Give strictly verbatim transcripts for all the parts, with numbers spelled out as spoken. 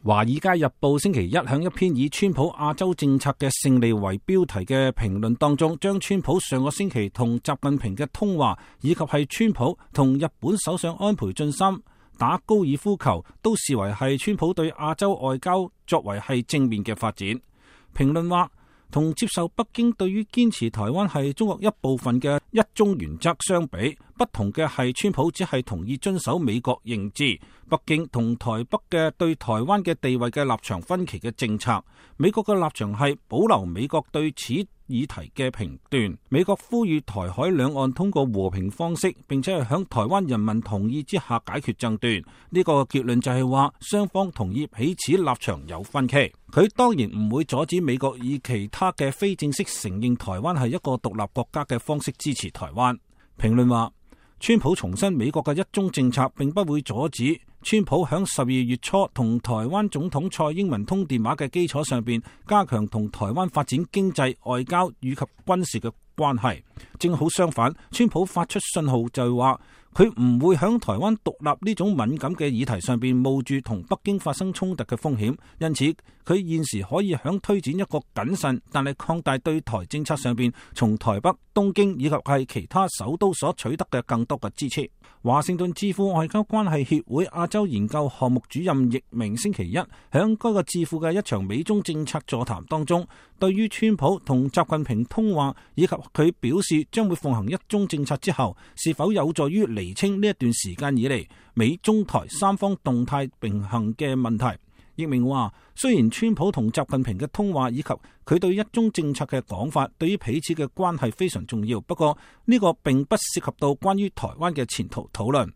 《華爾街日報》星期一響一篇以川普亞洲政策嘅勝利為標題嘅評論當中，將川普上個星期同習近平嘅通話，以及係川普同日本首相安倍晉三打高爾夫球，都視為係川普對亞洲外交作為係正面嘅發展。評論話，同接受北京對於堅持台灣係中國一部分嘅一中原則相比，不同嘅係川普只係同意遵守美國認知，北京同台北嘅對台灣嘅地位嘅立場分歧嘅政策。美國嘅立場係保留美國對此議題嘅評斷。美國呼籲台海兩岸通過和平方式，並且係響台灣人民同意之下解決爭端。呢個結論就係話，雙方同意彼此立場有分歧。佢當然唔會阻止美國以其他嘅非正式承認台灣係一個獨立國家嘅方式支持台灣。評論話，川普重申美國嘅一中政策，並不會阻止川普響十二月初同台灣總統蔡英文通電話嘅基礎上邊，加強同台灣發展經濟、外交以及軍事嘅關係。正好相反，川普發出信號就係話，佢唔會響台灣獨立呢種敏感嘅議題上邊冒住同北京發生衝突嘅風險，因此佢現時可以響推展一個謹慎但係擴大對台政策上邊，從台北、東京以及係其他首都所取得嘅更多嘅支持。華盛頓智庫外交關係協會亞洲研究項目主任易明星期一響該個智庫嘅一場美中政策座談當中，對於川普同習近平通話以及佢表示將會奉行一中政策之後，是否有助於釐清呢一段時間以嚟美中台三方動態並行嘅問題。易明話，雖然川普同習近平嘅通話以及佢對一中政策嘅講法對於彼此嘅關係非常重要，不過呢個並不涉及到關於台灣嘅前途討論。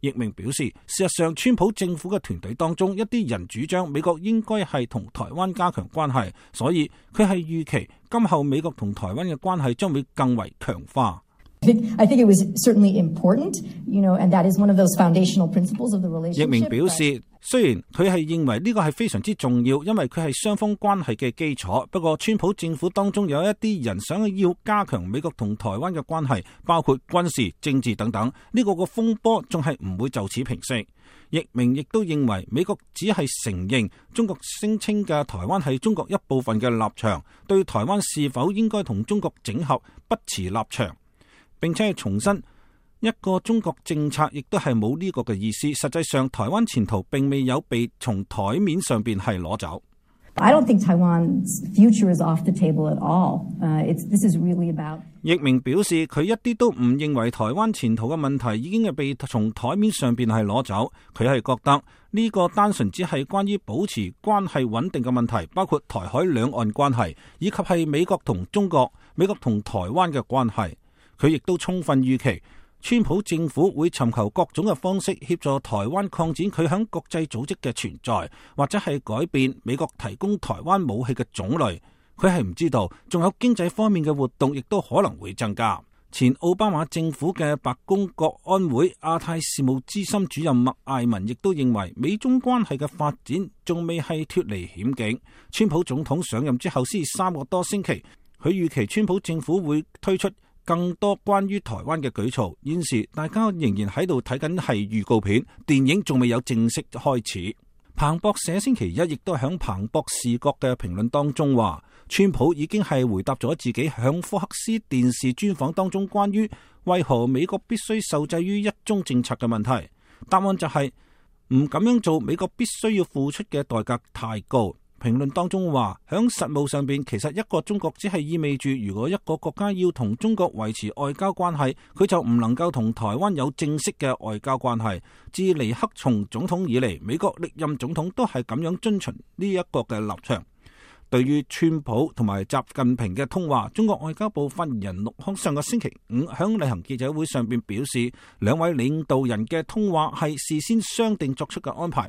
易明表示，事實上川普政府嘅團隊當中一啲人主張美國應該係同台灣加強關係，所以佢係預期今後美國同台灣嘅關係將會更為強化。I think it was certainly important, you know, and that is one of those foundational principles of the relationship. 易明表示，雖然佢係認為呢個係非常之重要，因為佢係雙方關係嘅基礎。不過，川普政府當中有一啲人想要加強美國同台灣嘅關係，包括軍事、政治等等。呢個個風波仲係唔會就此平息。易明亦都認為，美國只係承認中國聲稱嘅台灣係中國一部分嘅立場，對台灣是否應該同中國整合不持立場。並且係重申一個中國政策，亦都係冇呢個嘅意思。實際上，台灣前途並未有被從台面上邊係攞走。I don't think Taiwan's future is off the table at all. Uh, it's, this is really about. 易明表示，佢一啲都唔認為台灣前途嘅問題已經係被從台面上邊係攞走。佢係覺得呢個單純只係關於保持關係穩定嘅問題，包括台海兩岸關係，以及係美國同中國、美國同台灣嘅關係。佢亦都充分預期，川普政府會尋求各種嘅方式協助台灣擴展佢響國際組織嘅存在，或者係改變美國提供台灣武器嘅種類。佢係唔知道，仲有經濟方面嘅活動亦都可能會增加。前奧巴馬政府嘅白宮國安會亞太事務資深主任麥艾文亦都認為，美中關係嘅發展仲未係脫離險境。川普總統上任之後先三個多星期，佢預期川普政府會推出更多關於台灣嘅舉措。現時大家仍然喺度睇緊係預告片，電影仲未有正式開始。彭博社星期一亦都響彭博視角嘅評論當中話，川普已經係回答咗自己響福克斯電視專訪當中關於為何美國必須受制於一中政策嘅問題。答案就係唔咁樣做，美國必須要付出嘅代價太高。評論當中話，響實務上邊，其實一個中國只係意味住，如果一個國家要同中國維持外交關係，佢就唔能夠同台灣有正式嘅外交關係。自尼克松總統以嚟，美國歷任總統都係咁樣遵循呢一個嘅立場。對於川普同埋習近平嘅通話，中國外交部發言人陸康上個星期五響例行記者會上邊表示，兩位領導人嘅通話係事先商定作出嘅安排。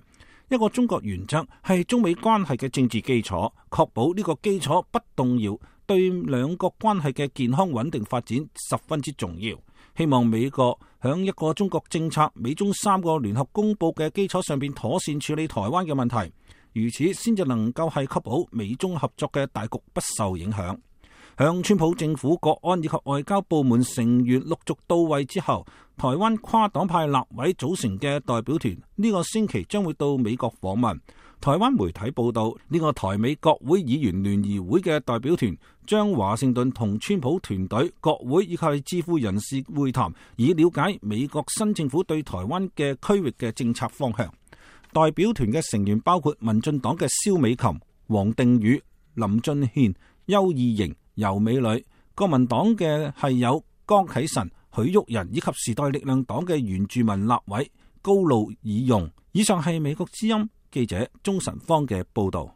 一個中國原則係中美關係嘅政治基礎，確保呢個基礎不動搖，對兩國關係嘅健康穩定發展十分之重要。希望美國響一個中國政策、美中三個聯合公佈嘅基礎上邊妥善處理台灣嘅問題，如此先至能夠係確保美中合作嘅大局不受影響。向川普政府國安以及外交部門成員陸續到位之後，台灣跨黨派立委組成嘅代表團呢個星期將會到美國訪問。台灣媒體報道，呢個台美國會議員聯誼會嘅代表團將華盛頓同川普團隊、國會以及智庫人士會談，以了解美國新政府對台灣嘅區域嘅政策方向。代表團嘅成員包括民進黨嘅蕭美琴、黃定宇、林俊憲、邱義瑩、游美女；國民黨嘅係有江啟臣、許旭仁以及時代力量黨嘅原住民立委高路爾容。以上係美國之音記者鍾晨芳嘅報道。